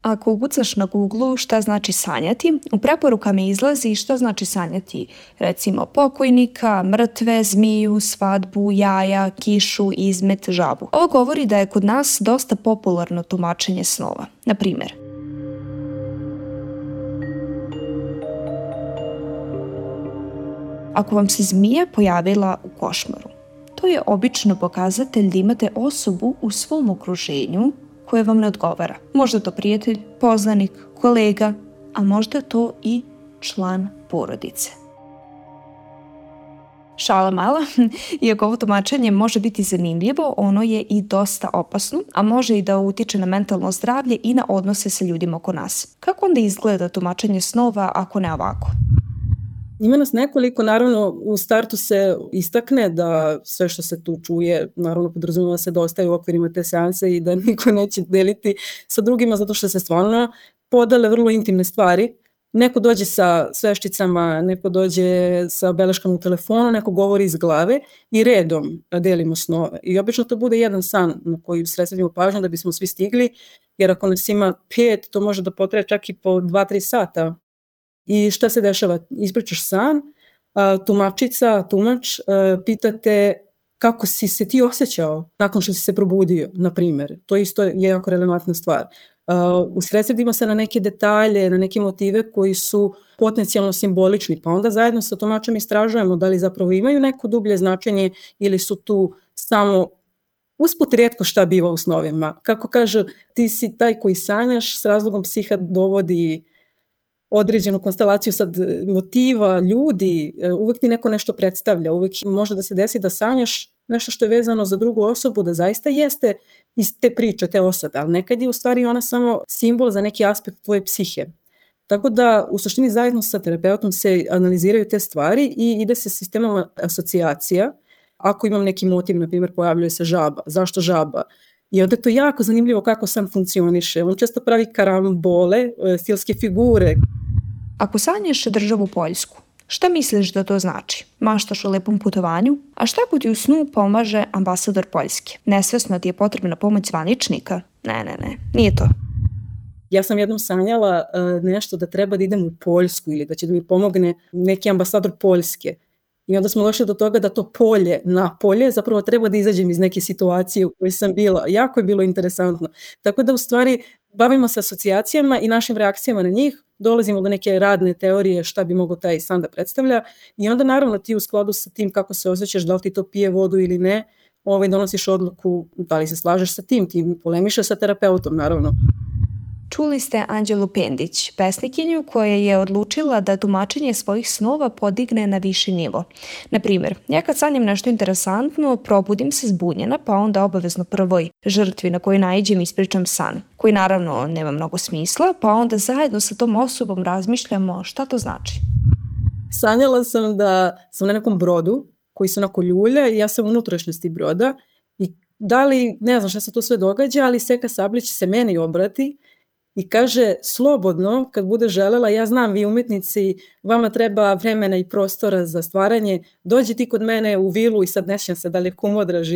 Ako ukucaš na Google šta znači sanjati, u preporukama izlazi šta znači sanjati, recimo pokojnika, mrtve, zmiju, svadbu, jaja, kišu, izmet, žabu. Ovo govori da je kod nas dosta popularno tumačenje snova. Na primjer, ako vam se zmija pojavila u košmaru, to je obično pokazatelj da imate osobu u svom okruženju koje vam ne odgovara. Možda to prijatelj, poznanik, kolega, a možda to i član porodice. Šala mala, iako ovo tumačenje može biti zanimljivo, ono je i dosta opasno, a može i da utiče na mentalno zdravlje i na odnose sa ljudima oko nas. Kako onda izgleda tumačenje snova ako ne ovako? Ima nas nekoliko, naravno u startu se istakne da sve što se tu čuje, naravno podrazumeva se da ostaje u okvirima te seanse i da niko neće deliti sa drugima zato što se stvarno podele vrlo intimne stvari. Neko dođe sa sveščicama, neko dođe sa beleškama u telefonu, neko govori iz glave i redom delimo snove. I obično to bude jedan san na koji sredstvimo pažnju da bismo svi stigli, jer ako nas ima 5, to može da potraje čak i po 2-3 sata. I šta se dešava? Ispričaš san, tumač pitate kako si se ti osjećao nakon što si se probudio, na primjer. To isto je jako relevantna stvar. Usredsredimo se na neke detalje, na neke motive koji su potencijalno simbolični, pa onda zajedno sa tumačem istražujemo da li zapravo imaju neko dublje značenje ili su tu samo usput rijetko šta biva u snovima. Kako kažu, ti si taj koji sanjaš, s razlogom psiha dovodi određenu konstelaciju sad motiva, ljudi, uvijek ti neko nešto predstavlja, uvijek može da se desi da sanjaš nešto što je vezano za drugu osobu, da zaista jeste iz te priče, te osobe, ali nekad je u stvari ona samo simbol za neki aspekt tvoje psihe. Tako da u suštini zajedno sa terapeutom se analiziraju te stvari i ide se sistemom asocijacija. Ako imam neki motiv, na primjer pojavljuje se žaba, zašto žaba? I onda je to jako zanimljivo kako san funkcioniše. On često pravi karambole, stilske figure. Ako sanjaš državu Poljsku, šta misliš da to znači? Maštaš o lepom putovanju? A šta ako ti u snu pomaže ambasador Poljske? Nesvesno ti je potrebna pomoć zvaničnika? Ne, nije to. Ja sam jednom sanjala nešto da treba da idem u Poljsku ili da će da mi pomogne neki ambasador Poljske. I onda smo došli do toga da to polje zapravo treba da izađem iz neke situacije u kojoj sam bila. Jako je bilo interesantno. Tako da u stvari bavimo se asocijacijama i našim reakcijama na njih, dolazimo do neke radne teorije šta bi mogao taj san da predstavlja i onda naravno ti u skladu sa tim kako se osjećaš, da li ti to pije vodu ili ne, donosiš odluku da li se slažeš sa tim, ti polemišeš sa terapeutom naravno. Čuli ste Anđelu Pendić, pesnikinju koja je odlučila da tumačenje svojih snova podigne na viši nivo. Na primjer, ja kad sanjam nešto interesantno, probudim se zbunjena, pa onda obavezno prvoj žrtvi na koju naiđem ispričam san, koji naravno nema mnogo smisla, pa onda zajedno sa tom osobom razmišljamo šta to znači. Sanjala sam da sam na nekom brodu koji se onako ljulja i ja sam u unutrašnjosti broda i da li, ne znam šta se tu sve događa, ali Seka Sablić se meni obrati i kaže, slobodno, kad bude želela, ja znam vi umetnici, vama treba vremena i prostora za stvaranje, dođi ti kod mene u vilu i sad ne sjećam se da li je Kumodraž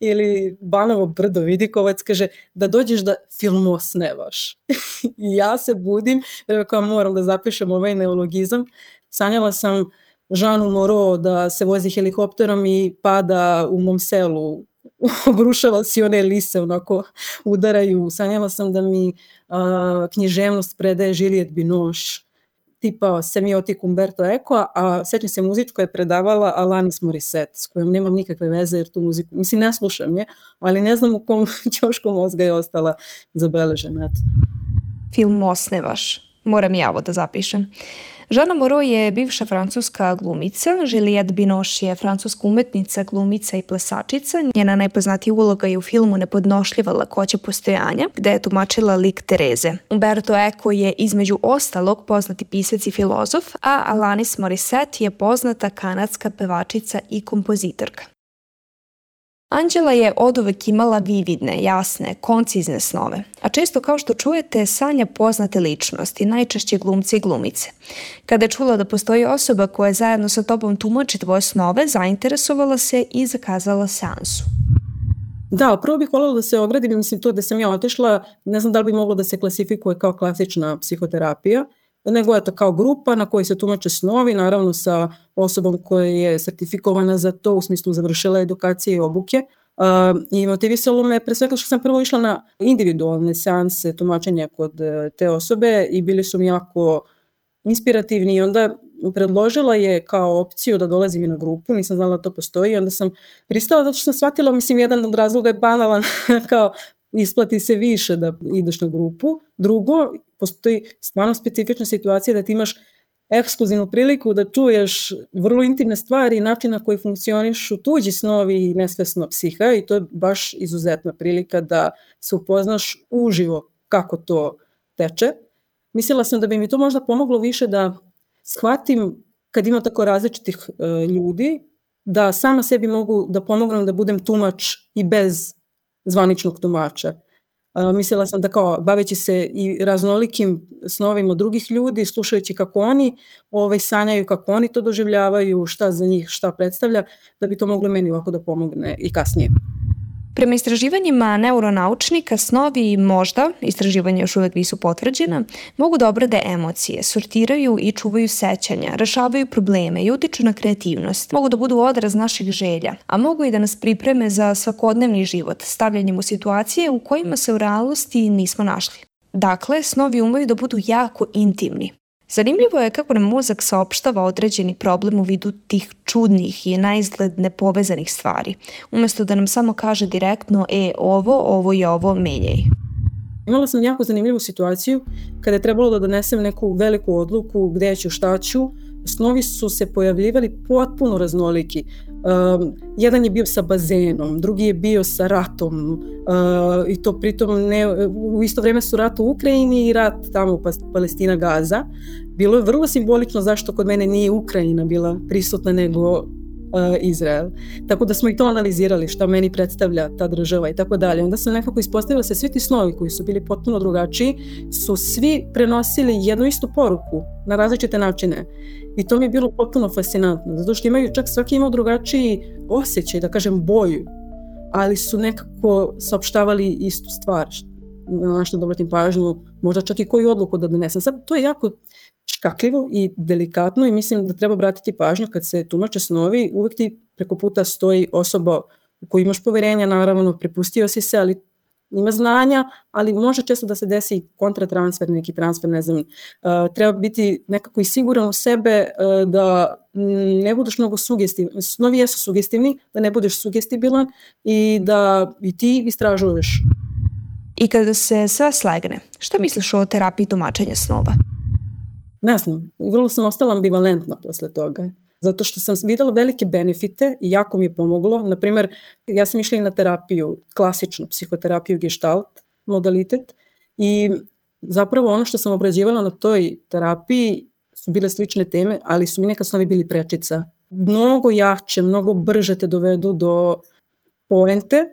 ili Banovo brdo, Vidikovac, kaže, da dođeš da filmosnevaš. I ja se budim, kao moram da zapišem ovaj neologizam, sanjala sam Žanu Moro da se vozi helikopterom i pada u mom selu, obrušava si one lise, onako udaraju. Sanjala sam da mi književnost predaje Juliette Binoche, tipa semiotik Umberto Eco, a sećam se muzičko je predavala Alanis Morissette, s kojom nemam nikakve veze jer tu muziku, mislim ne slušam je, ali ne znam u kom ćošku mozga je ostala zabeležena. Film osnevaš, moram i ja ovo da zapišem. Žana Moreau je bivša francuska glumica, Juliette Binoche je francuska umetnica, glumica i plesačica. Njena najpoznatija uloga je u filmu Nepodnošljiva lakoća postojanja, gde je tumačila lik Tereze. Umberto Eco je između ostalog poznati pisac i filozof, a Alanis Morissette je poznata kanadska pevačica i kompozitorka. Anđela je oduvek imala vividne, jasne, koncizne snove, a često kao što čujete sanja poznate ličnosti, najčešće glumci i glumice. Kada je čula da postoji osoba koja zajedno sa tobom tumači tvoje snove, zainteresovala se i zakazala seansu. Da, prvo bih voljela da se ogradim, mislim to da sam ja otišla, ne znam da li bi moglo da se klasifikuje kao klasična psihoterapija, nego je to kao grupa na kojoj se tumače snovi, naravno sa osobom koja je sertifikovana za to, u smislu završila edukacije i obuke. I motivisalo me pre svega što sam prvo išla na individualne seanse tumačenja kod te osobe i bili su mi jako inspirativni i onda predložila je kao opciju da dolazim i na grupu, nisam znala da to postoji, onda sam pristala zato što sam shvatila, mislim, jedan od razloga je banalan, kao isplati se više da ideš na grupu. Drugo, postoji stvarno specifična situacija da ti imaš ekskluzivnu priliku da čuješ vrlo intimne stvari i način na koji funkcionišu tuđi snovi i nesvesno psiha i to je baš izuzetna prilika da se upoznaš uživo kako to teče. Mislila sam da bi mi to možda pomoglo više da shvatim kad ima tako različitih ljudi, da sama sebi mogu da pomognem da budem tumač i bez zvaničnog tumača. Mislila sam da kao baveći se i raznolikim snovima drugih ljudi, slušajući kako oni sanjaju, kako oni to doživljavaju, šta za njih, šta predstavlja, da bi to moglo meni ovako da pomogne i kasnije. Prema istraživanjima neuronaučnika, snovi možda, istraživanja još uvek nisu potvrđena, mogu da obrade emocije, sortiraju i čuvaju sećanja, rešavaju probleme i utiču na kreativnost. Mogu da budu odraz naših želja, a mogu i da nas pripreme za svakodnevni život, stavljanjem u situacije u kojima se u realnosti nismo našli. Dakle, snovi umeju da budu jako intimni. Zanimljivo je kako nam mozak saopštava određeni problem u vidu tih čudnih i naizgled nepovezanih stvari, umesto da nam samo kaže direktno ovo i ovo menjaj. Imala sam jako zanimljivu situaciju kada je trebalo da donesem neku veliku odluku gde ću, šta ću. Snovi su se pojavljivali potpuno raznoliki. Jedan je bio sa bazenom, drugi je bio sa ratom i to pritom u isto vreme su rat u Ukrajini i rat tamo Palestina, Gaza. Bilo je vrlo simbolično zašto kod mene nije Ukrajina bila prisutna nego Izrael. Tako da smo i to analizirali šta meni predstavlja ta država i tako dalje. Onda sam nekako ispostavila se svi ti snovi koji su bili potpuno drugačiji su svi prenosili jednu istu poruku na različite načine. I to mi je bilo potpuno fascinantno, zato što imaju, čak svaki imao drugačiji osjećaj, da kažem boju, ali su nekako saopštavali istu stvar, na što da obratim pažnju, možda čak i koju odluku da donesem. Sad, to je jako škakljivo i delikatno i mislim da treba obratiti pažnju kad se tumače snovi, uvek ti preko puta stoji osoba u koju imaš poverenja, naravno, prepustio si se, ali ima znanja, ali može često da se desi kontratransfer, neki transfer, ne znam, treba biti nekako i siguran u sebe da ne budeš mnogo sugestivan, snovi jesu sugestivni, da ne budeš sugestibilan i da i ti istražuješ. I kada se sve slegne, šta misliš o terapiji tumačenja snova? Ne znam, vrlo sam ostala ambivalentna posle toga. Zato što sam videla velike benefite i jako mi je pomoglo. Naprimer, ja sam išla i na terapiju, klasičnu psihoterapiju Gestalt modalitet i zapravo ono što sam obrađivala na toj terapiji su bile slične teme, ali su mi nekad snovi bili prečica. Mnogo jače, mnogo brže te dovedu do poente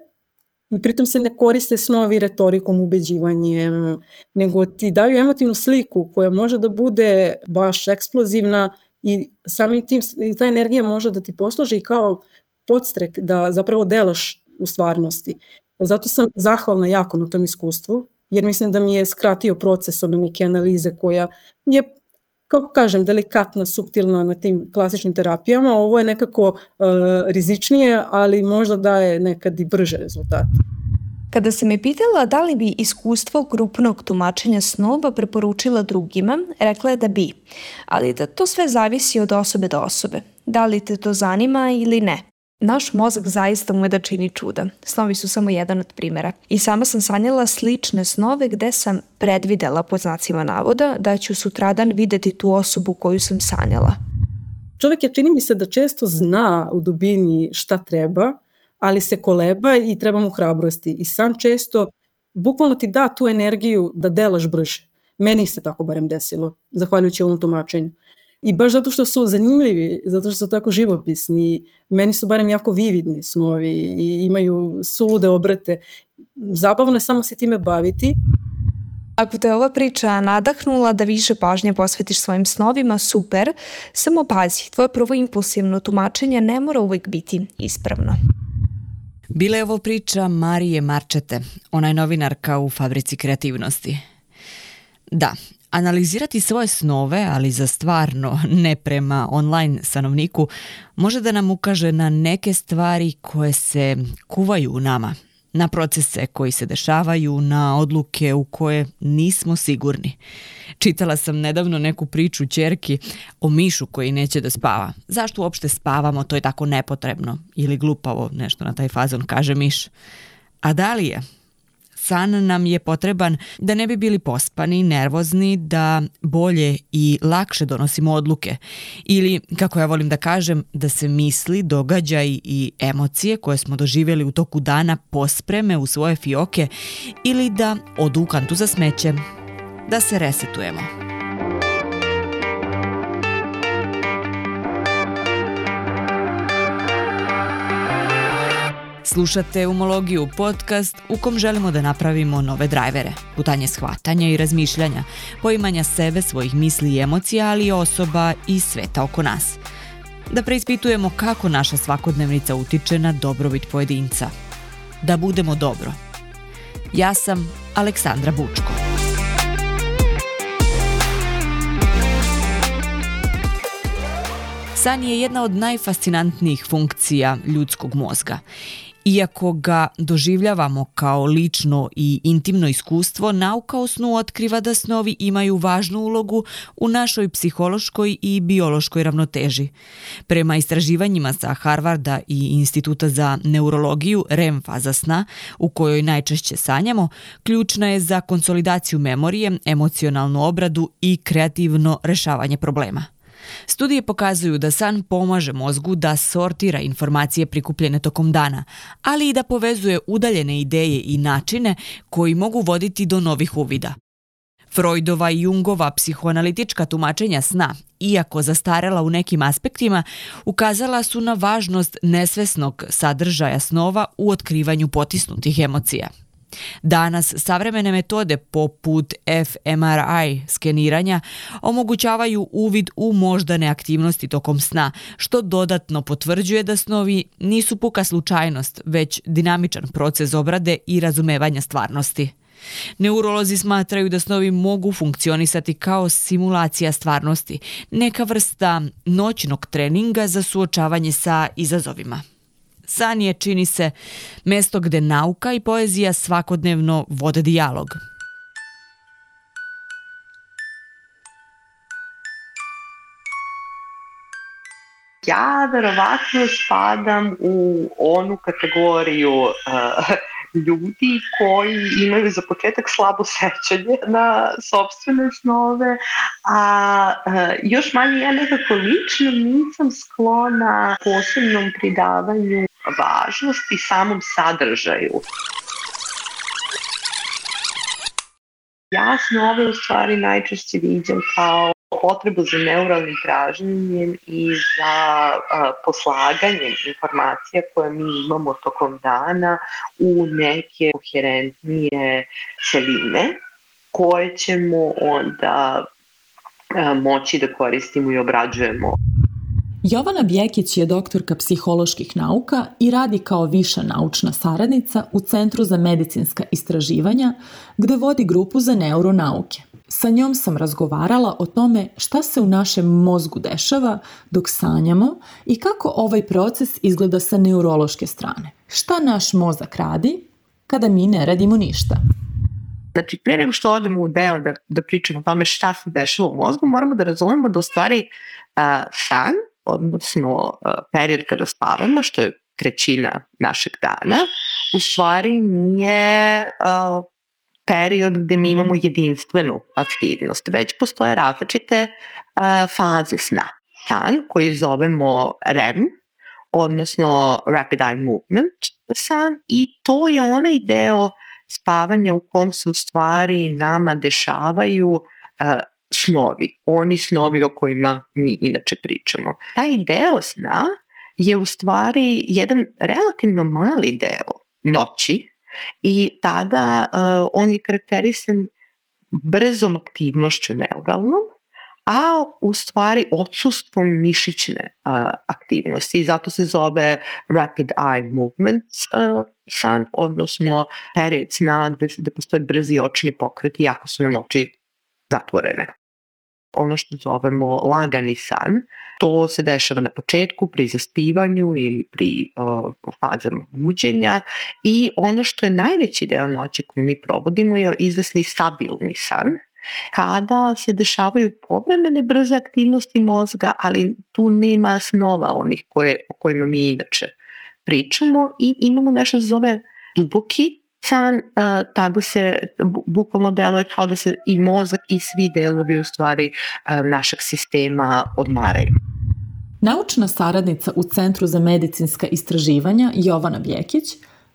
i pritom se ne koriste snovi retorikom, ubeđivanjem, nego ti daju emotivnu sliku koja može da bude baš eksplozivna i samim tim ta energija može da ti posluži kao podstrek da zapravo delaš u stvarnosti. Zato sam zahvalna jako na tom iskustvu, jer mislim da mi je skratio proces od neke analize koja je, kako kažem, delikatna, suptilna na tim klasičnim terapijama. Ovo je nekako rizičnije, ali možda daje nekad i brže rezultate. Kada sam je pitala da li bi iskustvo grupnog tumačenja snova preporučila drugima, rekla je da bi, ali da to sve zavisi od osobe do osobe. Da li te to zanima ili ne? Naš mozak zaista ume da čini čuda. Snovi su samo jedan od primjera. I sama sam sanjala slične snove gde sam predvidela, pod znacima navoda, da ću sutradan videti tu osobu koju sam sanjala. Čovjek je, čini mi se, da često zna u dubini šta treba, ali se koleba i treba mu hrabrosti. I san često bukvalno ti da tu energiju da delaš brže. Meni se tako barem desilo, zahvaljujući ovom tumačenju. I baš zato što su zanimljivi, zato što su tako živopisni, meni su barem jako vividni snovi i imaju sulude obrate. Zabavno je samo se time baviti. Ako te ova priča nadahnula da više pažnje posvetiš svojim snovima, super, samo pazi, tvoje prvo impulsivno tumačenje ne mora uvijek biti ispravno. Bila je ovo priča Marije Marčete, ona je novinarka u Fabrici kreativnosti. Da, analizirati svoje snove, ali za stvarno, ne prema online stanovniku, može da nam ukaže na neke stvari koje se kuvaju u nama, na procese koji se dešavaju, na odluke u koje nismo sigurni. Čitala sam nedavno neku priču ćerki o mišu koji neće da spava. Zašto uopšte spavamo, to je tako nepotrebno ili glupavo, nešto na taj fazon, kaže miš. A da li je? San nam je potreban da ne bi bili pospani, nervozni, da bolje i lakše donosimo odluke. Ili, kako ja volim da kažem, da se misli, događaji i emocije koje smo doživjeli u toku dana pospreme u svoje fioke ili da odu u kantu za smeće, da se resetujemo. Slušate Umologiju, podcast u kom želimo da napravimo nove drajvere, putanje shvatanja i razmišljanja, poimanja sebe, svojih misli i emocija, ali i osoba i sveta oko nas. Da preispitujemo kako naša svakodnevnica utiče na dobrobit pojedinca. Da budemo dobro. Ja sam Aleksandra Bučko. San je jedna od najfascinantnijih funkcija ljudskog mozga. Iako ga doživljavamo kao lično i intimno iskustvo, nauka o snu otkriva da snovi imaju važnu ulogu u našoj psihološkoj i biološkoj ravnoteži. Prema istraživanjima sa Harvarda i Instituta za neurologiju, REM faza sna, u kojoj najčešće sanjamo, ključna je za konsolidaciju memorije, emocionalnu obradu i kreativno rešavanje problema. Studije pokazuju da san pomaže mozgu da sortira informacije prikupljene tokom dana, ali i da povezuje udaljene ideje i načine koji mogu voditi do novih uvida. Freudova i Jungova psihoanalitička tumačenja sna, iako zastarela u nekim aspektima, ukazala su na važnost nesvesnog sadržaja snova u otkrivanju potisnutih emocija. Danas savremene metode poput fMRI skeniranja omogućavaju uvid u moždane aktivnosti tokom sna, što dodatno potvrđuje da snovi nisu puka slučajnost, već dinamičan proces obrade i razumevanja stvarnosti. Neurolozi smatraju da snovi mogu funkcionisati kao simulacija stvarnosti, neka vrsta noćnog treninga za suočavanje sa izazovima. San je, čini se, mesto gde nauka i poezija svakodnevno vode dijalog. Ja verovatno spadam u onu kategoriju ljudi koji imaju za početak slabo sećanje na sopstvene snove, a još manje ja nekako lično nisam sklona posebnom pridavanju važnosti samom sadržaju. Ja snove u stvari najčešće viđam kao potrebu za neuralnim traženjem i za poslaganjem informacija koje mi imamo tokom dana u neke koherentnije celine koje ćemo onda moći da koristimo i obrađujemo. Jovana Bjekić je doktorka psiholoških nauka i radi kao viša naučna saradnica u Centru za medicinska istraživanja, gde vodi grupu za neuronauke. Sa njom sam razgovarala o tome šta se u našem mozgu dešava dok sanjamo i kako ovaj proces izgleda sa neurološke strane. Šta naš mozak radi kada mi ne radimo ništa? Znači, prije nego što odemo u deo da pričamo o tome šta se dešava u mozgu, moramo da razumemo da u stvari san, odnosno period kada spavamo, što je trećina našeg dana, u stvari nije period gde mi imamo jedinstvenu aktivnost, već postoje različite faze sna. San koji zovemo REM, odnosno Rapid Eye Movement san, i to je onaj deo spavanja u kom se u stvari nama dešavaju snovi, oni snovi o kojima mi inače pričamo. Taj deo sna je u stvari jedan relativno mali deo noći i tada on je karakterisan brzom aktivnošću neuralnom, a u stvari odsustvom mišićne aktivnosti. Zato se zove rapid eye movement san, odnosno period sna gde postoje brzi očni pokreti, jako su nam oči zatvorene. Ono što zovemo lagani san, to se dešava na početku pri zaspivanju ili pri fazama buđenja i ono što je najveći deo noći koju mi provodimo je izvesni stabilni san, kada se dešavaju povremene brze aktivnosti mozga, ali tu nema snova onih o kojima mi inače pričamo i imamo nešto što zove duboki san, tako se bukvalno deluje kao da se i mozak i svi delovi u stvari našeg sistema odmaraju. Naučna saradnica u Centru za medicinska istraživanja Jovana Bjekić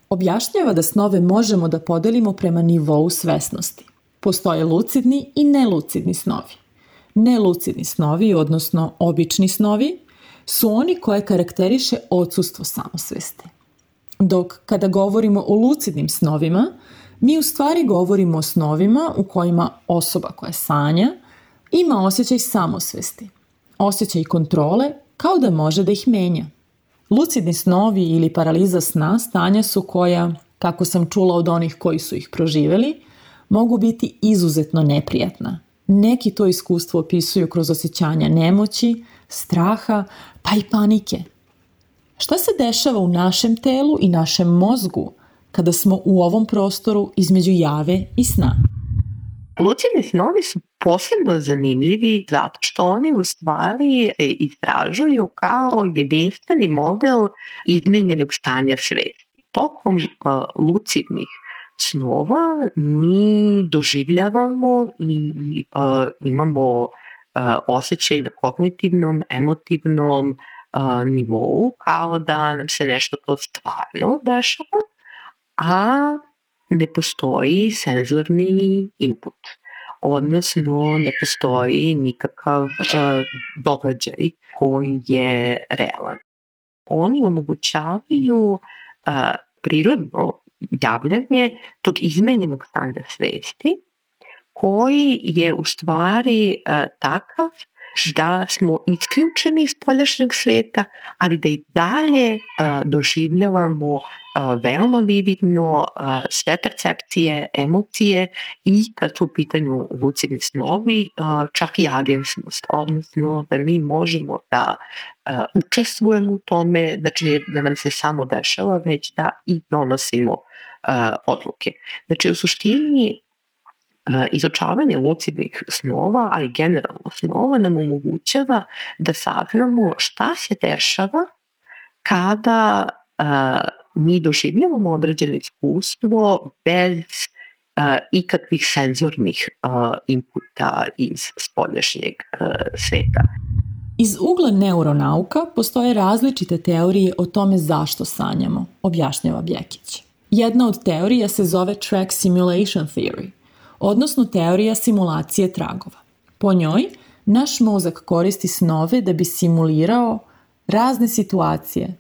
objašnjava da snove možemo da podelimo prema nivou svesnosti. Postoje lucidni i nelucidni snovi. Nelucidni snovi, odnosno obični snovi, su oni koje karakteriše odsustvo samosvesti. Dok kada govorimo o lucidnim snovima, mi u stvari govorimo o snovima u kojima osoba koja sanja ima osjećaj samosvesti, osjećaj kontrole kao da može da ih menja. Lucidni snovi ili paraliza sna stanja su koja, kako sam čula od onih koji su ih proživeli, mogu biti izuzetno neprijatna. Neki to iskustvo opisuju kroz osjećanja nemoći, straha, pa i panike. Šta se dešava u našem telu i našem mozgu kada smo u ovom prostoru između jave i sna? Lucidni snovi su posebno zanimljivi zato što oni u stvari istražuju kao jedinstveni model izmenjenog stanja svesti. Tokom lucidnih snova mi doživljavamo i imamo osjećaj na kognitivnom, emotivnom nivou, kao da nam se nešto to stvarno dešava, a ne postoji senzorni input, odnosno ne postoji nikakav događaj koji je realan. Oni omogućavaju prirodno javljanje tog izmenjenog stanja svesti koji je u stvari takav da smo isključeni iz spoljašnjeg sveta, ali da i dalje doživljavamo veoma vividno sve percepcije, emocije i kad su u pitanju lucidni snovi, čak i agenstnost, odnosno da mi možemo da učestvujemo u tome, znači da nam se samo dešava, već da i donosimo odluke. Znači u suštini izučavanje lucidnih snova, ali generalno snova nam omogućava da saznamo šta se dešava kada mi doživljavamo određeno iskustvo bez ikakvih senzornih inputa iz spoljašnjeg sveta. Iz ugla neuronauka postoje različite teorije o tome zašto sanjamo, objašnjava Bjekić. Jedna od teorija se zove track simulation theory, odnosno teorija simulacije tragova. Po njoj, naš mozak koristi snove da bi simulirao razne situacije,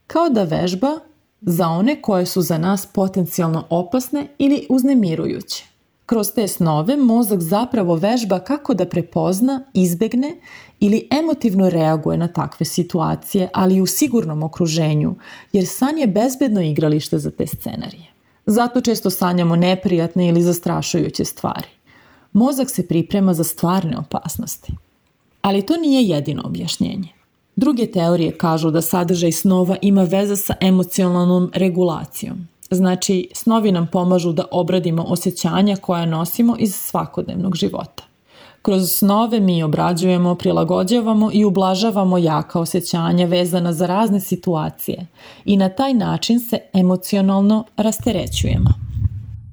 kao da vežba za one koje su za nas potencijalno opasne ili uznemirujuće. Kroz te snove mozak zapravo vežba kako da prepozna, izbegne ili emotivno reaguje na takve situacije, ali u sigurnom okruženju, jer san je bezbedno igralište za te scenarije. Zato često sanjamo neprijatne ili zastrašujuće stvari. Mozak se priprema za stvarne opasnosti. Ali to nije jedino objašnjenje. Druge teorije kažu da sadržaj snova ima veze sa emocionalnom regulacijom. Znači, snovi nam pomažu da obradimo osjećanja koja nosimo iz svakodnevnog života. Kroz snove mi obrađujemo, prilagođavamo i ublažavamo jaka osjećanja vezana za razne situacije i na taj način se emocionalno rasterećujemo.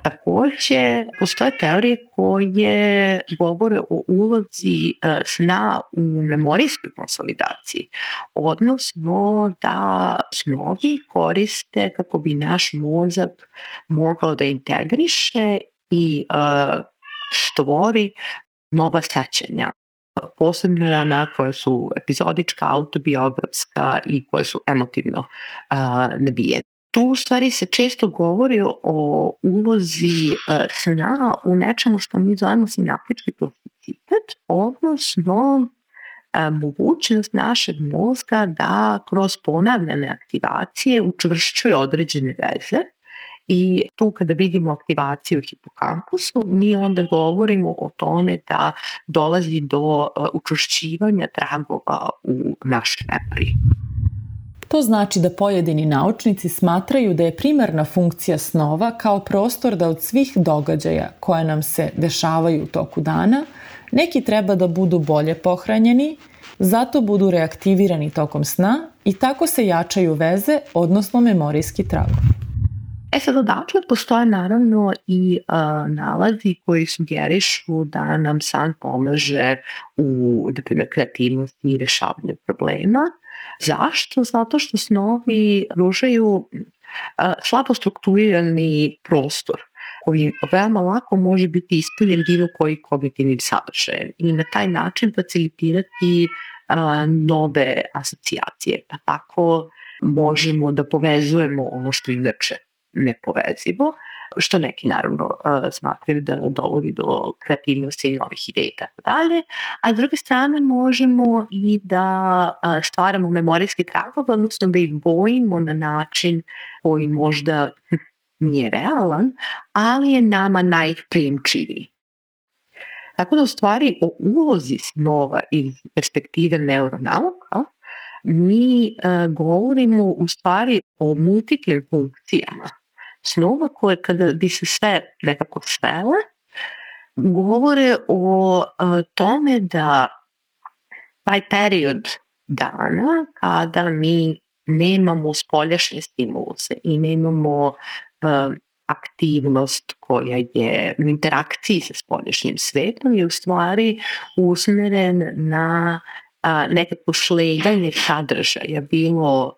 Takođe, postoje teorije koje govore o ulozi sna u memorijskoj konsolidaciji, odnosno da snovi koriste kako bi naš mozak mogao da integriše i stvori nova sećanja, posebno ona koja su epizodička, autobiografska i koje su emotivno nabijene. Tu u stvari se često govori o ulozi sna u nečemu što mi zovemo sinaptički kapacitet, odnosno mogućnost našeg mozga da kroz ponavljane aktivacije učvršćuje određene veze. I tu kada vidimo aktivaciju u hipokampusu, mi onda govorimo o tome da dolazi do učvršćivanja tragova u našoj memoriji. To znači da pojedini naučnici smatraju da je primarna funkcija snova kao prostor da od svih događaja koje nam se dešavaju u toku dana, neki treba da budu bolje pohranjeni, zato budu reaktivirani tokom sna i tako se jačaju veze, odnosno memorijski tragovi. Sad odatle postoje naravno i nalazi koji sugerišu da nam san pomaže u kreativnosti i rešavanju problema. Zašto? Zato što snovi pružaju slabo strukturirani prostor koji veoma lako može biti ispunjen bilo koji kognitivni sadržaj i na taj način facilitirati nove asocijacije. Pa tako možemo da povezujemo ono što inače nepovezivo, što neki naravno smatraju da dovodi do kreativnosti i novih ideja i tako dalje, a s druge strane možemo i da stvaramo memorijski tragove, odnosno da ih bojimo na način koji možda nije realan, ali je nama najprijemčiviji. Tako da u stvari o ulozi snova iz perspektive neuronauka mi govorimo u stvari o multiplim funkcijama snova koje kada bi se sve nekako svele, govore o tome da taj period dana kada mi nemamo spoljašnje stimuluse i nemamo aktivnost koja je u interakciji sa spoljašnjim svetom je u stvari usmeren na nekako sledanje sadržaja, bilo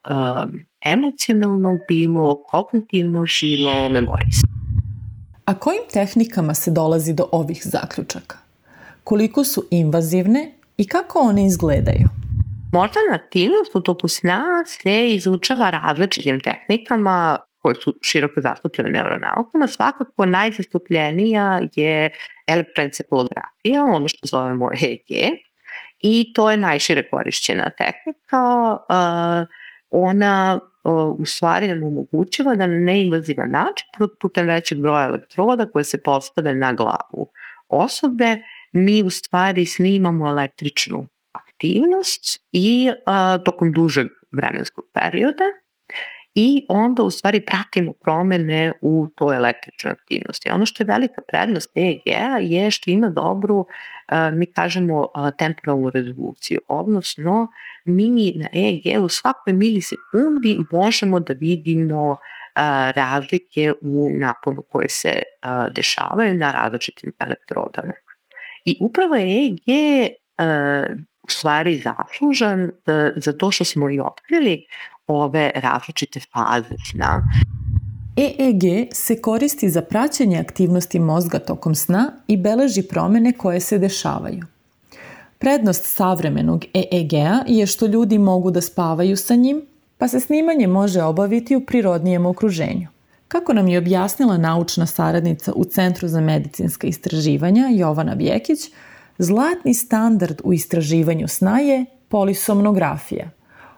emocionalno, bilo kognitivno, bilo memorijsko. A kojim tehnikama se dolazi do ovih zaključaka? Koliko su invazivne i kako one izgledaju? Moždana aktivnost u toku sna se izučava različitim tehnikama koje su široko zastupljene neuronaukama. Svakako najzastupljenija je elektroencefalografija, ono što zovemo EEG, i to je najšire korišćena tehnika. Ona u stvari nam omogućava da na neinvazivan način putem većeg broja elektroda koje se postave na glavu osobe, mi u stvari snimamo električnu aktivnost i tokom dužeg vremenskog perioda i onda u stvari pratimo promene u toj električnoj aktivnosti. Ono što je velika prednost EEG-a je što ima dobru, mi kažemo, temporalnu rezoluciju, odnosno mi na EEG u svakoj milisekundi možemo da vidimo razlike u naponu koje se dešavaju na različitim elektrodama. I upravo je EEG u stvari zaslužan za to što smo i otkrili ove različite faze sna. EEG se koristi za praćenje aktivnosti mozga tokom sna i beleži promene koje se dešavaju. Prednost savremenog EEG-a je što ljudi mogu da spavaju sa njim, pa se snimanje može obaviti u prirodnijem okruženju. Kako nam je objasnila naučna saradnica u Centru za medicinska istraživanja Jovana Vjekić, zlatni standard u istraživanju sna je polisomnografija,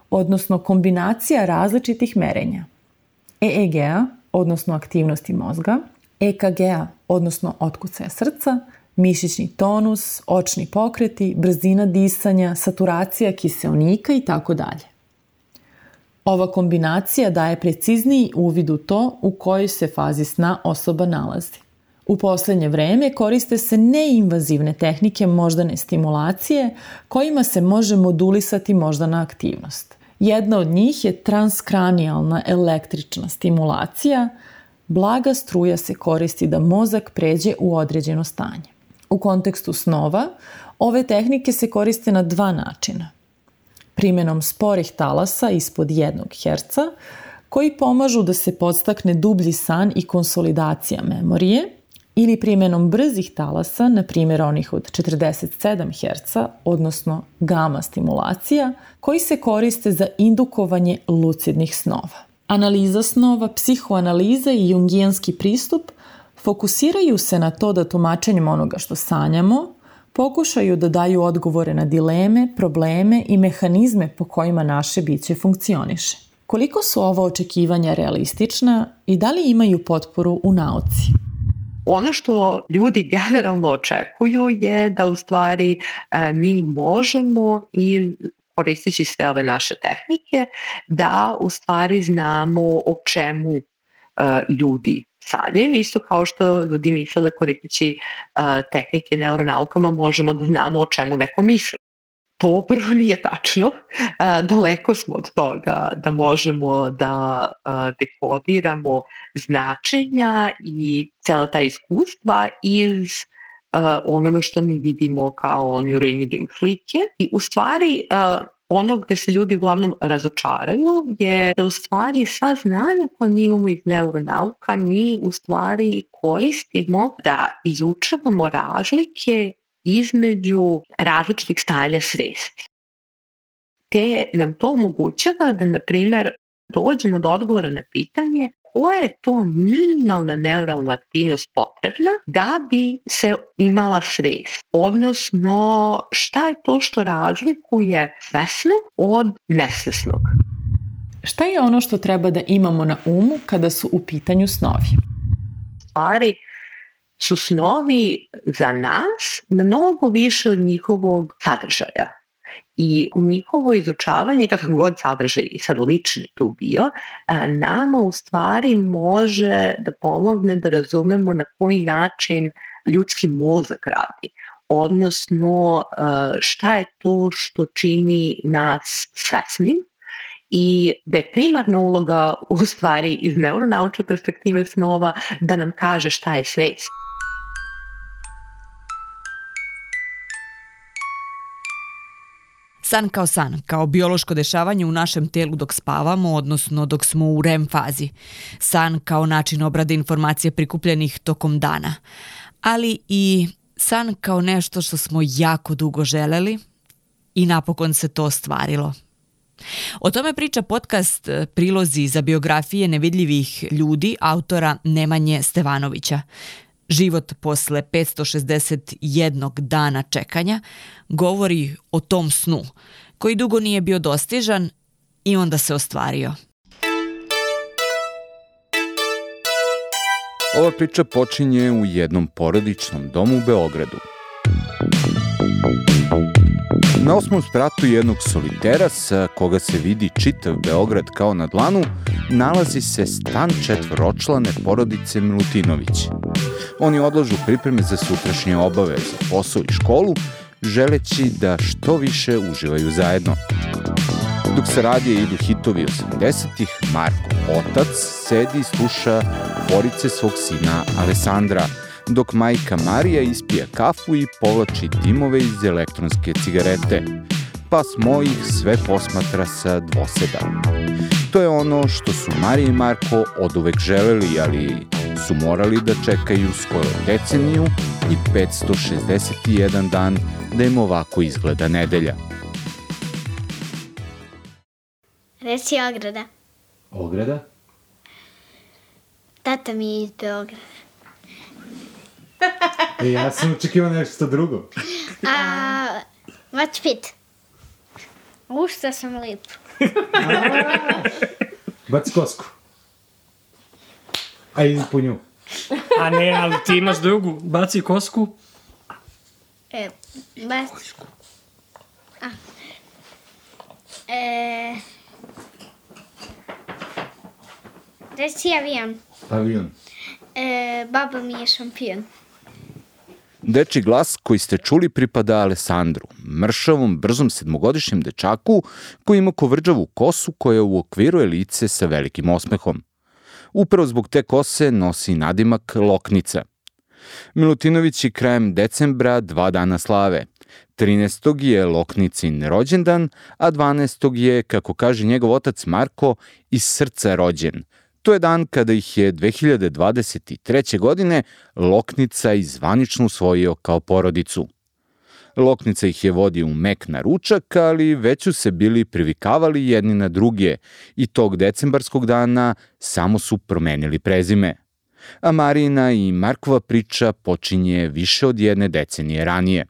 odnosno kombinacija različitih merenja. EEG-a, odnosno aktivnosti mozga, EKG-a, odnosno otkucaja srca, mišićni tonus, očni pokreti, brzina disanja, saturacija kiseonika itd. Ova kombinacija daje precizniji uvid u to u kojoj se fazi sna osoba nalazi. U poslednje vreme koriste se neinvazivne tehnike moždane stimulacije kojima se može modulisati moždana aktivnost. Jedna od njih je transkranijalna električna stimulacija. Blaga struja se koristi da mozak pređe u određeno stanje. U kontekstu snova, ove tehnike se koriste na dva načina. Primenom sporih talasa ispod 1 Hz, koji pomažu da se podstakne dublji san i konsolidacija memorije, ili primenom brzih talasa, na primjer onih od 47 Hz, odnosno gama stimulacija, koji se koriste za indukovanje lucidnih snova. Analiza snova, psihoanaliza i jungijanski pristup fokusiraju se na to da tumačenjem onoga što sanjamo pokušaju da daju odgovore na dileme, probleme i mehanizme po kojima naše biće funkcioniše. Koliko su ova očekivanja realistična i da li imaju potporu u nauci? Ono što ljudi generalno očekuju je da u stvari mi možemo i koristeći sve ove naše tehnike da u stvari znamo o čemu ljudi sanjaju, isto kao što ljudi misle da koristeći tehnike neuronaukama možemo da znamo o čemu neko misli. To prvo nije tačno. Daleko smo od toga da možemo da dekodiramo značenja i cijela ta iskustva iz onoga što mi vidimo kao neuroimaging slike. I u stvari ono gde se ljudi uglavnom razočaraju je da u stvari sva znanja koja mi imamo iz neuronauka mi u stvari koristimo da izučavamo razlike između različitih stanja svesti. Te nam to omogućava da, na primjer, dođemo do odgovora na pitanje koja je to minimalna neuralna aktivnost potrebna da bi se imala svest. Odnosno, šta je to što razlikuje svesno od nesvesnog? Šta je ono što treba da imamo na umu kada su u pitanju snovi? Stvari su snovi za nas mnogo više od njihovog sadržaja. I njihovo izučavanje, kakav god sadržaj i sad lični tu bio, nama u stvari može da pomogne da razumemo na koji način ljudski mozak radi. Odnosno, šta je to što čini nas svesnim i da je primarna uloga u stvari iz neuronaučne perspektive snova da nam kaže šta je svest. San, kao biološko dešavanje u našem telu dok spavamo, odnosno dok smo u REM fazi. San kao način obrade informacija prikupljenih tokom dana. Ali i san kao nešto što smo jako dugo želeli i napokon se to ostvarilo. O tome priča podcast Prilozi za biografije nevidljivih ljudi autora Nemanje Stevanovića. Život posle 561 dana čekanja govori o tom snu, koji dugo nije bio dostižan i onda se ostvario. Ova priča počinje u jednom porodičnom domu u Beogradu. Na 8. spratu jednog solitera sa koga se vidi čitav Beograd kao na dlanu, nalazi se stan četvoročlane porodice Milutinović. Oni odlažu pripreme za sutrašnje obaveze, posao i školu, želeći da što više uživaju zajedno. Dok sa radija idu hitovi 80-ih, Marko, otac, sedi i sluša forice svog sina Alessandra, dok majka Marija ispija kafu i povlači dimove iz elektronske cigarete. Pas mojih sve posmatra sa dvoseda. To je ono što su Marija i Marko oduvek želeli, ali su morali da čekaju skoro deceniju i 561 dan da im ovako izgleda nedelja. Reci Ograda. Ograda? Tata mi je iz Beograda. Ja sam očekivao nešto drugo. What's fit? Šta sam lep. Baci kosku. A idi po nju. A ne, ali ti imaš drugu. Baci kosku. Baci. Reci avion. Avion. Baba mi je šampion. Dečji glas koji ste čuli pripada Alessandru, mršavom, brzom sedmogodišnjem dečaku koji ima kovrđavu kosu koja uokviruje lice sa velikim osmehom. Upravo zbog te kose nosi nadimak Loknica. Milutinovići krajem decembra 2 dana slave. 13. je Loknicin rođendan, a 12. je, kako kaže njegov otac Marko, iz srca rođen. To je dan kada ih je 2023. godine Loknica zvanično usvojio kao porodicu. Loknica ih je vodio u mek na ručak, ali već su se bili privikavali jedni na druge i tog decembarskog dana samo su promenili prezime. A Marijina i Markova priča počinje više od 1 decenije ranije.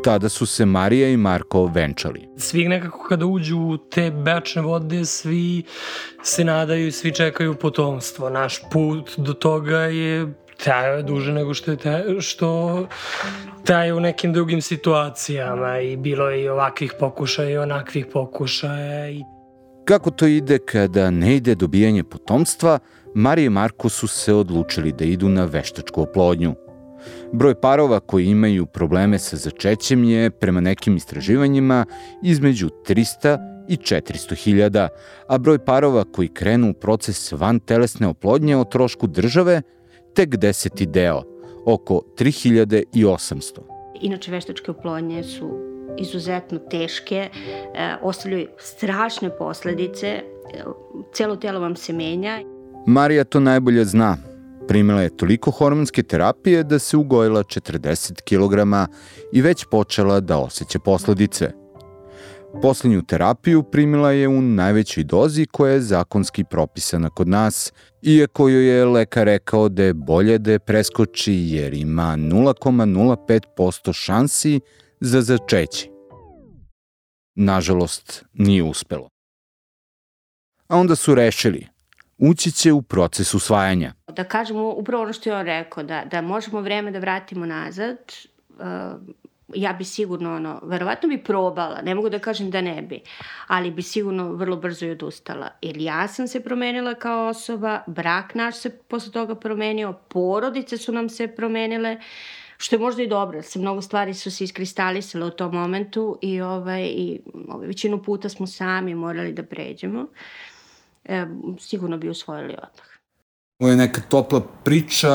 Tada su se Marija i Marko venčali. Svi nekako kada uđu u te bračne vode, svi se nadaju i svi čekaju potomstvo. Naš put do toga je trajao duže nego što traje u nekim drugim situacijama i bilo je i ovakvih pokušaja i onakvih pokušaja. Kako to ide kada ne ide dobijanje potomstva, Marija i Marko su se odlučili da idu na veštačku oplodnju. Broj parova koji imaju probleme sa začećem je, prema nekim istraživanjima, između 300 i 400 hiljada, a broj parova koji krenu u proces vantelesne oplodnje o trošku države tek 10. deo, oko 3800. Inače, veštačke oplodnje su izuzetno teške, ostavljaju strašne posledice, celo telo vam se menja. Marija to najbolje zna. Primila je toliko hormonske terapije da se ugojila 40 kg i već počela da osjeća posledice. Poslednju terapiju primila je u najvećoj dozi koja je zakonski propisana kod nas, iako joj je lekar rekao da je bolje da je preskoči jer ima 0,05% šansi za začeće. Nažalost, nije uspelo. A onda su rešili, ući će u proces usvajanja. Da kažemo upravo ono što je on rekao, da možemo vreme da vratimo nazad, ja bi sigurno, verovatno bi probala, ne mogu da kažem da ne bi, ali bi sigurno vrlo brzo i odustala. Jer ja sam se promenila kao osoba, brak naš se posle toga promenio, porodice su nam se promenile, što je možda i dobro, mnogo stvari su se iskristalisale u tom momentu i većinu puta smo sami morali da pređemo. Sigurno bi usvojili odmah. Ovo je neka topla priča,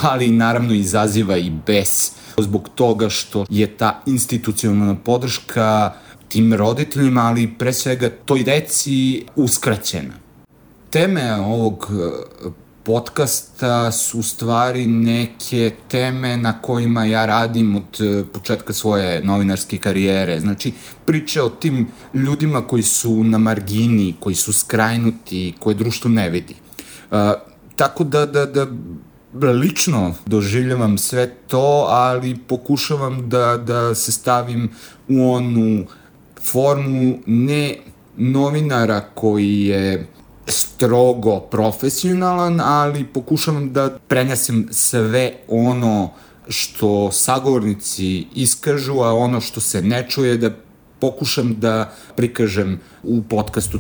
ali naravno izaziva i bes zbog toga što je ta institucionalna podrška tim roditeljima, ali pre svega toj deci uskraćena. Teme ovog podcasta su u stvari neke teme na kojima ja radim od početka svoje novinarske karijere. Znači, priče o tim ljudima koji su na margini, koji su skrajnuti, koje društvo ne vidi. Tako da lično doživljavam sve to, ali pokušavam da se stavim u onu formu ne novinara koji je strogo profesionalan, ali pokušavam da prenesem sve ono što sagovornici iskažu, a ono što se ne čuje da pokušam da prikažem u podcastu.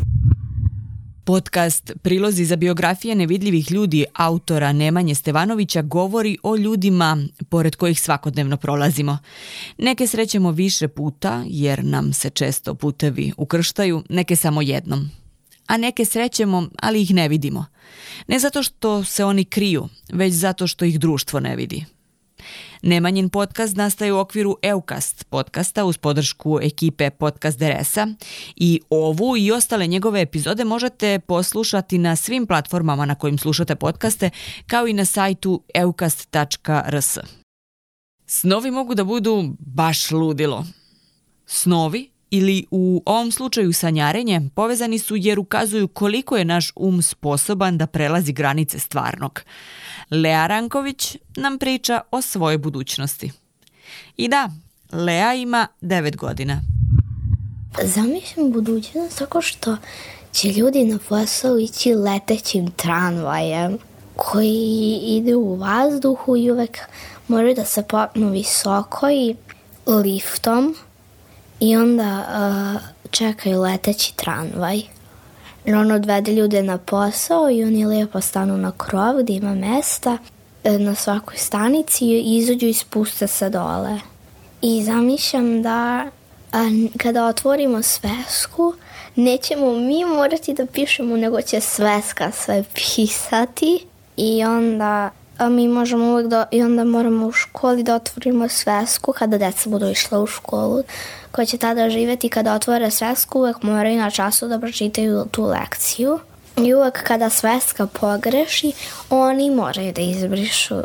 Podcast Prilozi za biografije nevidljivih ljudi autora Nemanje Stevanovića govori o ljudima pored kojih svakodnevno prolazimo. Neke srećemo više puta jer nam se često putevi ukrštaju, neke samo jednom. A neke srećemo, ali ih ne vidimo. Ne zato što se oni kriju, već zato što ih društvo ne vidi. Nemanjin podcast nastaje u okviru Eukast podcasta uz podršku ekipe Podcast DRS-a i ovu i ostale njegove epizode možete poslušati na svim platformama na kojim slušate podcaste, kao i na sajtu eukast.rs. Snovi mogu da budu baš ludilo. Snovi, ili u ovom slučaju sanjarenje, povezani su jer ukazuju koliko je naš sposoban da prelazi granice stvarnog. Lea Ranković nam priča o svojoj budućnosti. I da, Lea ima 9 godina. Zamišljam budućnost tako što će ljudi na posao ići letećim tramvajem koji ide u vazduhu i uvek moraju da se popnu visoko i liftom i onda čekaju leteći tramvaj. On odvede ljude na posao i oni lijepo stanu na krov gdje ima mesta na svakoj stanici i izađu i spuste se dole. I zamišljam da kada otvorimo svesku, nećemo mi morati da pišemo, nego će sveska sve pisati i onda mi možemo uvek i onda moramo u školi da otvorimo svesku kada deca budu išla u školu koja će tada živjeti. Kada otvore svesku uvek moraju na času da pročitaju tu lekciju i uvek kada sveska pogreši oni moraju da izbrišu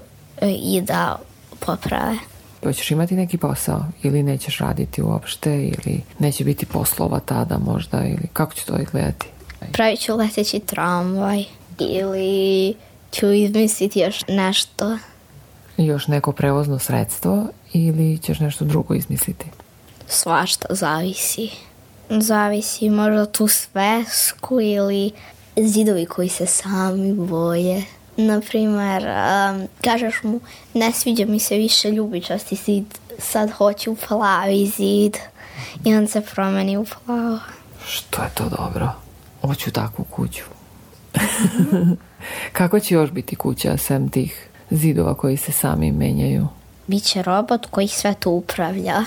i da poprave. Hoćeš imati neki posao ili nećeš raditi uopšte ili neće biti poslova tada možda ili kako će to izgledati? Pravit ću leteći tramvaj ili ću izmisliti još nešto. još neko prevozno sredstvo ili ćeš nešto drugo izmisliti? Svašta zavisi. Zavisi možda tu svesku ili zidovi koji se sami boje. Naprimer, kažeš mu ne sviđa mi se više ljubičasti zid, sad hoću plavi zid i on se promeni u plavo. Što je to dobro? Hoću takvu kuću. Kako će još biti kuća sem tih zidova koji se sami menjaju? Biće robot koji sve to upravlja.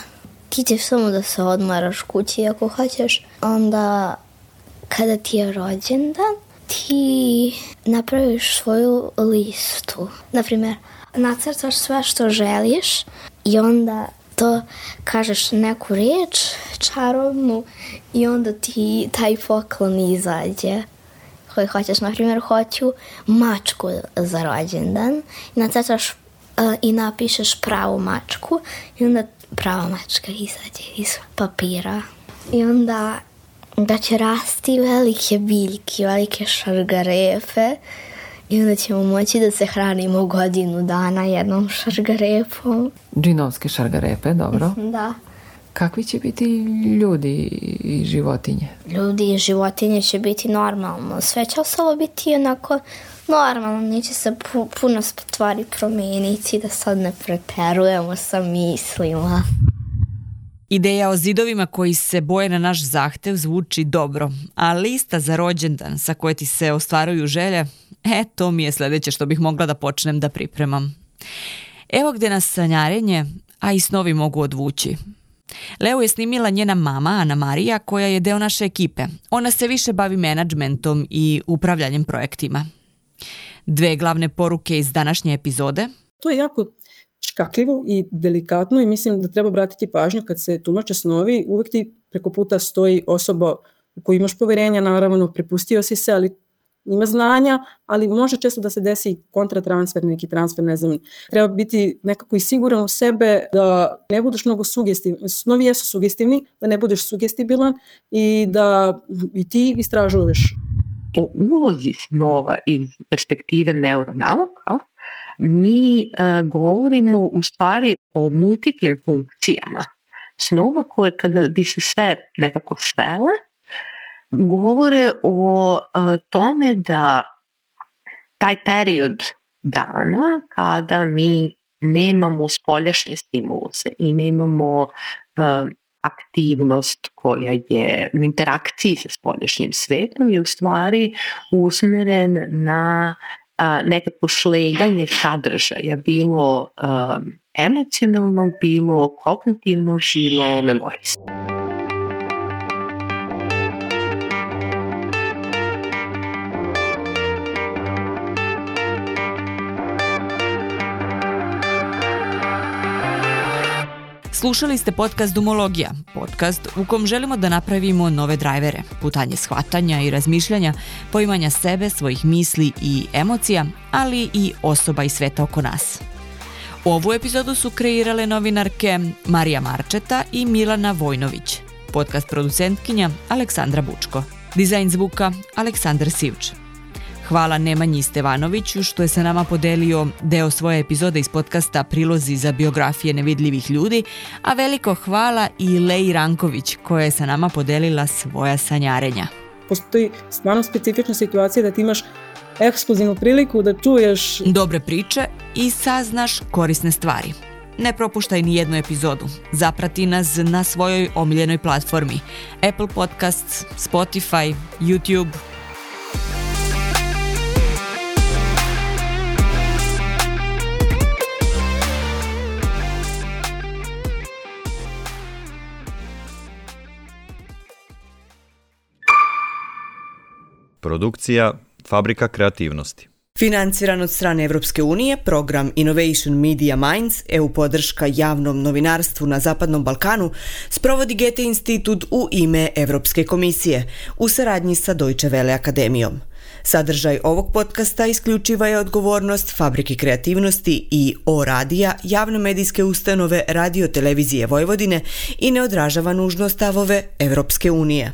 Ti ćeš samo da se odmaraš kući ako hoćeš. Onda kada ti je rođendan, ti napraviš svoju listu. Naprimjer, nacrtaš sve što želiš i onda to kažeš neku riječ čarobnu i onda ti taj poklon izađe. Koji hoćeš, naprimjer, hoću mačku za rođendan i nacrtaš i napišeš pravu mačku i onda prava mačka izađe iz papira. I onda da će rasti velike biljke, velike šargarepe i onda ćemo moći da se hranimo godinu dana jednom šargarepom. Džinovske šargarepe, dobro. Da. Kakvi će biti ljudi i životinje? Ljudi i životinje će biti normalno. Sve će ostalo biti onako normalno. Neće se puno stvari promijeniti, da sad ne preterujemo sa mislima. Ideja o zidovima koji se boje na naš zahtev zvuči dobro, a lista za rođendan sa koje ti se ostvaruju želje, to mi je sljedeće što bih mogla da počnem da pripremam. Evo gdje nas sanjarenje, a i snovi mogu odvući. Leu je snimila njena mama, Ana Marija, koja je deo naše ekipe. Ona se više bavi menadžmentom i upravljanjem projektima. 2 glavne poruke iz današnje epizode. To je jako škakljivo i delikatno i mislim da treba obratiti pažnju kad se tumače snovi. Uvijek ti preko puta stoji osoba u koju imaš povjerenja, naravno prepustio si se, ali ima znanja, ali može često da se desi kontratransfer, neki transfer, ne znam. Treba biti nekako i siguran u sebe da ne budeš mnogo sugestivni. Snovi jesu sugestivni, da ne budeš sugestibilan i da i ti istražuješ. O ulozi snova iz perspektive neuronauka mi govorimo u stvari o multiplim funkcijama. Snova koje kada bi se sve nekako svele, govore o tome da taj period dana kada mi nemamo spoljašnje stimuluse i nemamo aktivnost koja je u interakciji sa spoljašnjim svetom je u stvari usmjeren na nekako sleganje sadržaja, bilo emocionalno, bilo kognitivno, bilo memorijsko. Slušali ste podcast Dumologija, podcast u kom želimo da napravimo nove drajvere, putanje shvatanja i razmišljanja, poimanja sebe, svojih misli i emocija, ali i osoba i sveta oko nas. Ovu epizodu su kreirale novinarke Marija Marčeta i Milana Vojnović, podcast producentkinja Aleksandra Bučko, dizajn zvuka Aleksandar Sivč. Hvala Nemanji Stevanoviću što je sa nama podelio deo svoje epizode iz podcasta Prilozi za biografije nevidljivih ljudi, a veliko hvala i Leji Ranković koja je sa nama podelila svoja sanjarenja. Postoji stvarno specifična situacija da ti imaš ekskluzivnu priliku da čuješ dobre priče i saznaš korisne stvari. Ne propuštaj ni jednu epizodu. Zaprati nas na svojoj omiljenoj platformi Apple Podcasts, Spotify, YouTube. Produkcija Fabrika kreativnosti. Financiran od strane Evropske unije, program Innovation Media Minds, EU podrška javnom novinarstvu na Zapadnom Balkanu, sprovodi Goethe institut u ime Evropske komisije, u saradnji sa Deutsche Welle akademijom. Sadržaj ovog podcasta isključiva je odgovornost Fabrike kreativnosti i O-radija, javne medijske ustanove Radio Televizije Vojvodine i ne odražava nužno stavove Evropske unije.